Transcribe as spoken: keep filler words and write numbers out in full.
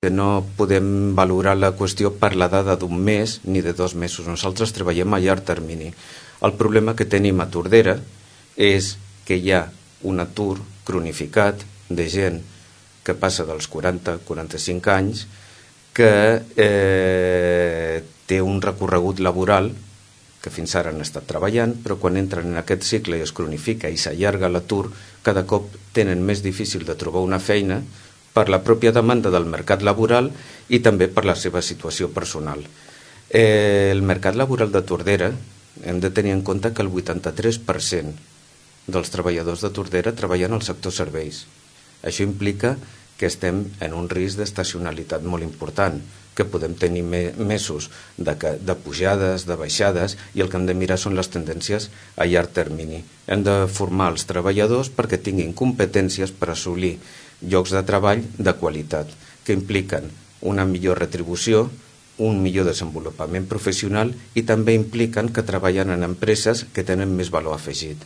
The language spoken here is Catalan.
que no podem valorar la qüestió per la dada d'un mes ni de dos mesos. Nosaltres treballem a llarg termini. El problema que tenim a Tordera és que hi ha un atur cronificat de gent que passa dels quaranta a quaranta-cinc anys, que eh, té un recorregut laboral que fins ara han estat treballant, però quan entren en aquest cicle i es cronifica i s'allarga l'atur, cada cop tenen més difícil de trobar una feina per la pròpia demanda del mercat laboral i també per la seva situació personal. Eh, el mercat laboral de Tordera hem de tenir en compte que el vuitanta-tres per cent dels treballadors de Tordera treballen al sector serveis. Això implica que estem en un risc d'estacionalitat molt important, que podem tenir mesos de, de pujades, de baixades, i el que hem de mirar són les tendències a llarg termini. Hem de formar els treballadors perquè tinguin competències per assolir llocs de treball de qualitat, que impliquen una millor retribució, un millor desenvolupament professional i també impliquen que treballen en empreses que tenen més valor afegit.